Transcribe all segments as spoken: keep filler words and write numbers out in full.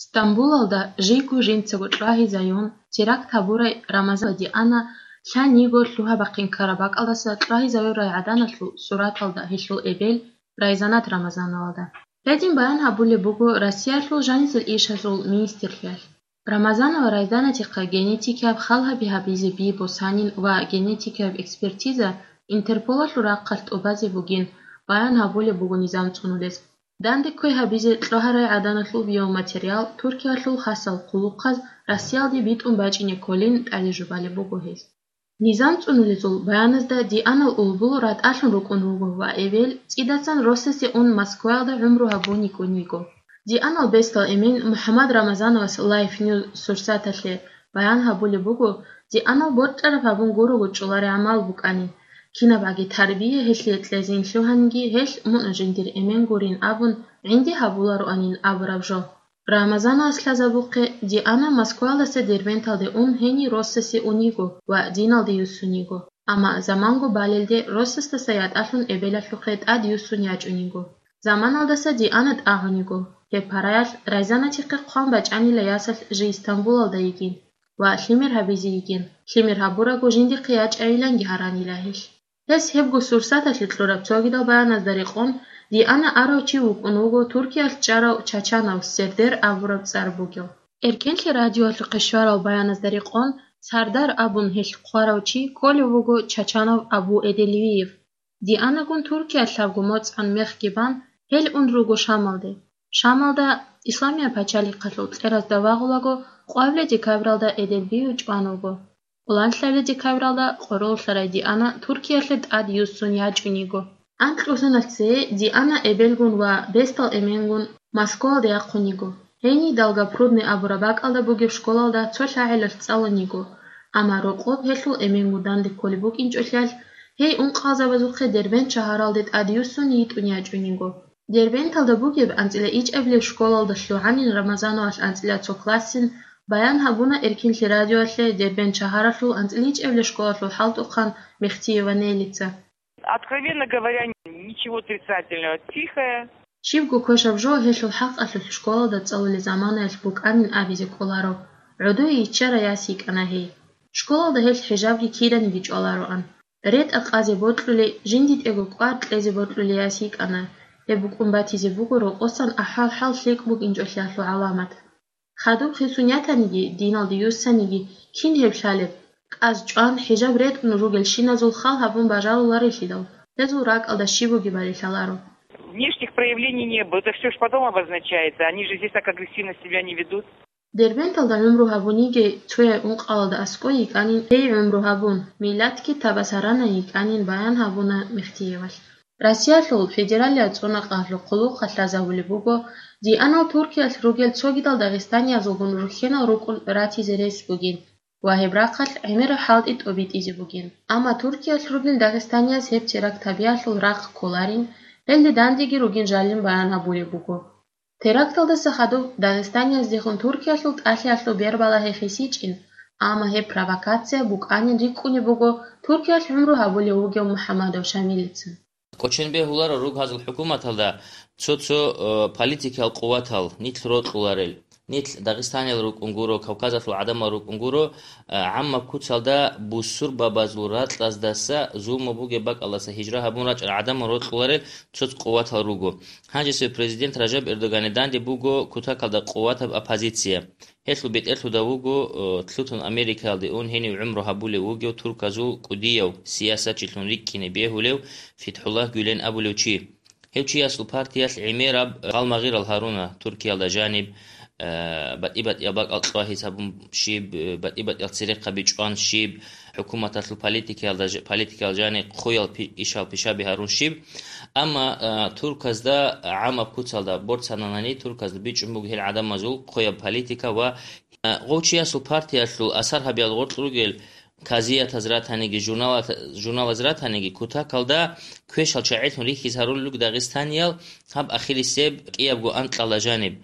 Стамбулалда жийго жинцаго кьвагьизаюн, теракт гьабурай Рамазан ва Диана лъан йиго лъугьа-бахъин ккараб бакӀалдаса кьвагьизавурай гӀаданалъул сураталда гьелъул эбел Райзанат Рамазановалда. Гьедин баян гьабулеб буго Россиялъул жанисел ишазул министрлъиялъ. Рамазанова Райзанатихъа генетикияб хал гьаби гьабизе би босанин ва генетикияб экспертиза Интерполалъул рахъалъ тӀубазе бугин, баян гьабулеб буго низам цӀунулез. Данде кквей гьабизе кьвагьарай гӀаданалъул биоматериал Туркиялъул хасал хъулухъаз Россиялде битӀун бачӀине кколин тӀаде жубалеб буго гьез. Низам цӀунулезул баяназда Дианал улбул ратӀалъун рукӀун руго ва эбел цӀидасан росасе ун Москваялда гӀумру гьабун йикӀун йиго. Дианал бесдал эмен МухӀаммад Рамазановас Life News Сурсаталъе баян гьабулеб буго, Дианал борчӀараб гьабун гурого чӀоларигӀан букӀанин, кинабгӀаги тарбия гьелъие кьезин лъугьаниги гьелъ мун жиндир эмен гурин абун гӀинди гьабулароанин абураб жо. Рамазановас лъазабухъе, Диана Москвалдаса Дербенталде ун гьенив росасе ун йиго ва диналде юссун йиго, амма заманго балелде росасдаса ятӀалъун эбелалъухъе тӀад юссун ячӀун йиго. Заманалдаса Диана тӀагӀун йиго. Гьеб параялъ Райзанатихъе хъван бачӀанила ясалъ жий Стамбулалда йигин ва лъимер гьабизе йигин. Лъимер гьабураго жиндихъе ячӀайиланги гьаранила гьелъ. Гьес гьебго Сурсаталъе кьураб цогидал баяназда рекъон, Диана арав чи вукӀун вуго Туркиялъ чӀарав Чачанов Сердер абураб цӀар бугев. Эркенлъи радиоялъухъе щварал баяназда рекъон, Сардар абун гьелъ хъварав чи кколев вуго Чачанов Абу Эделвиев. Дианагун Туркиялъ лъабго моцӀан мехги бан, гьел ун руго Шамалде. Шамалда, Исламияб пачалихъалъул кьеразда вагъулаго, къвабилеб декабралда Эделвиев чӀван вуго. Къоланлъабилеб декабралда къороллъарай Диана Туркиялъе тӀад юссун ячӀун йиго. Анкьусаналъ цее Диана эбелгун ва бесдал эменгун Москвалде яхъун йиго. Гьенив Долгопрудный абураб бакӀалда бугеб школалда цо лъагӀелалъ цӀалун йиго, амма рокъоб гьелъул эменгун данде кколеб букӀинчӀолъиялъ, гьей ункъалзабазухъе Дербент шагьаралде тӀад юссун йитӀун ячӀун йиго. Дербенталда бугеб анцӀила ичӀабилеб школалда лъугӀанин Рамазановалъ анцӀила цо классин баян гьабуна Эркинлъи радиоялъе Дербент шагьаралъул анцӀила ичӀабилеб школалъул хӀалтӀухъан Мехтиева Нелица. Откровенно говоря, ничего отрицательного. Тихая. Щибго квешаб жо гьелъул хӀакъалъулъ школалда цӀалулел заманаялъ букӀанин абизе кӀоларо, гӀодое иччарай яс йикӀана гьей. Школалда гьелъ хӀижабги киданиги чӀвалароан. РетӀа къазе бокьулей, жиндитӀего кӀвар кьезе бокьулей яс йикӀана, гьеб букӀун батизе буго рокъосан ахӀвал-хӀал лъикӀ букӀинчӀолъиялъул гӀаламат. Хадуб хисун ятаниги, диналде юссаниги, кин гьеб лъалеб? КӀаз чӀван, хӀижаб ретӀун ругелщиназул хал гьабун бажаруларелъидал, гьезул ракӀалда щиб бугебали лъаларо. Внешних проявлений не было. Это всё ж потом обозначается. Они же здесь так агрессивно себя не ведут. Дербенталда гӀумру гьабун йигей цояй ункъалалда аскӀой йикӀанин гьей гӀумру гьабун, миллатги табасарана йикӀанин баян гьабуна Мехтиевалъ. Россиялъул федералияб цӀунакъалъул хъулухъалъ лъазабулеб буго, Дианал Туркиялъ ругел цогидал дагъистаниязулгун рухьенал рукӀун ратизе рес бугин ва гьеб рахъалъ гӀемераб хӀалтӀи тӀобитӀизе бугин. Амма Туркиялъ ругел дагъистанияз гьеб теракт гьабиялъул рахъ кколарин, гьелде дандеги ругин жалин баян гьабулеб буго. Теракталдаса хадуб дагъистанияздехун Туркиялъул тӀалъиялъул бербалагьи хисичӀин, амма гьеб провокация букӀанин рикӀкӀунеб буго Туркиялъ гӀумру гьабулев вугев МухӀаммадов Шамилица. КӀочон бегьуларо ругьазул хӀукуматалда цо-цо, э, политикиял къуватал, нилъ рокьуларел, нилъ Дагъистаниял рукӀун гуро, Кавказалъул гӀадамал рукӀун гуро, э, гӀаммаб куцалда бусурбабазул ракьаздаса зулму бугеб бакӀалдаса гьижра гьабун рачӀарал гӀадамал рокьуларел цо-цо къуватал руго. Гьанжесев президент Ражаб Эрдогане данде буго кутакалда къуватаб оппозиция. Гьелъул бетӀерлъуда вуго, э, лъутун Америкаялде ун гьенив гӀумру гьабулев вугев турказул кӀудияв, сиясатчилъун рикӀкӀине бегьулев ФетхӀуллагь Гюлен абулев чи. Гьев чиясул партиялъ гӀемераб гъалмагъирал гьаруна Туркиялда жаниб, э, батӀи-батӀиял бакӀал кьвагьиз гьабун щиб, э, батӀи-батӀиял церехъаби чӀван щиб, хӀукуматалъул политикаялда ж-, политикаял жаниб хъуял пи-, ишал пишаби гьарун щиб. Амма, а, турказда гӀамаб куцалда борцананани, турказда бичӀчӀун буго гьел гӀадамазул хъуяб политика ва, а, гъов чиясул партиялъул асар гьабиялда гъоркь ругел казиятаз ратаниги, журналат-, журналаз ратаниги, кутакалда квешал чагӀилъун рихьиз гьарулел руго дагъистаниял гьаб ахирисеб кӀиябго анкьала жаниб.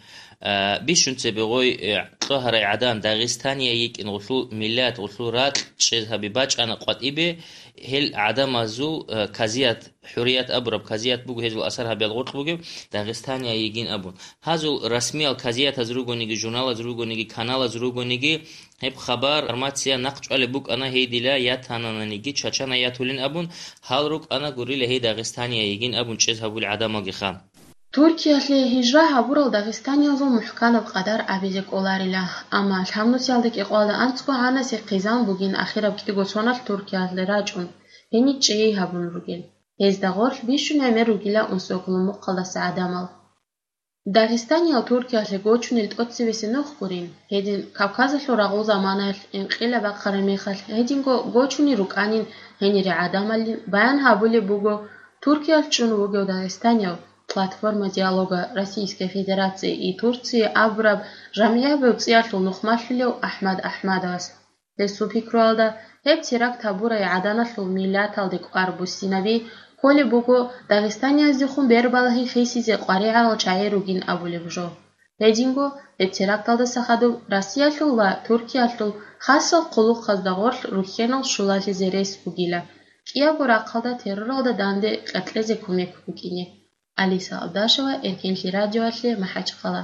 А, бищун цебе гъой, э, кьвагьарай гӀадан Дагъистания йикӀин гъулъул миллат, гъулъул ракь чӀез гьаби бачӀана къватӀибе, Гьел гӀадамазул, э, казият, хӀурият абураб казият буго, гьезул асар гьабиялъ гъоркь бугеб, Дагъистания йигин абун. Гьазул расмиял казиятаз ругониги, журналаз ругониги, каналаз ругониги, гьеб хабар, информация нахъ чӀвалеб букӀана, гьей дила ятананиги, чачана ятулин абун, гьал рукӀана гурила гьей Дагъистания йигин абун чӀез гьабул гӀадамалгиха. Туркиялъе гьижра гьабурал дагъистаниязул мухӀканаб къадар абизе кӀоларила, амма лъабнусиялда кӀикъоялда анцӀго гьанасе хъизан бугин ахираб кӀиго соналъ Туркиялде рачӀун, гьениб чӀей гьабун ругел. Гьезда гъорлъ бищун гӀемер ругила унсоколомухъалдаса гӀадамал. Дагъистаниял Туркиялъе гочунел тӀоцебесеб нух гурин, гьедин Кавказалъул рагъул заманаялъ инкъилаб бахъараб мехалъ гьединго гочунел рукӀанин гьенире гӀадамалин баян гьабулеб буго Туркиялъ чӀун вугев дагъистанияв «Платформа диалога Российской Федерации и Турции» абураб жамгӀияб гӀуцӀиялъул нухмалъулев АхӀмад АхӀмадовас. Гьесул пикруялда, гьеб теракт гьабурай гӀаданалъул миллаталде кӀвар буссинаби кколеб буго, дагъистанияздехун бербалагьи хисизе къваригӀарал чагӀи ругин абулеб жо. Гьединго, гьеб теракталдаса хадуб Россиялъул ва Туркиялъул хасал хъулухъазда гъорлъ рухьенал щулалъизе рес бугила, кӀиябго рахъалда терроралда данде къеркьезе кумек букӀине. Алиса Алдашева, Эркенлъи радиоялъе, МахӀачхъала.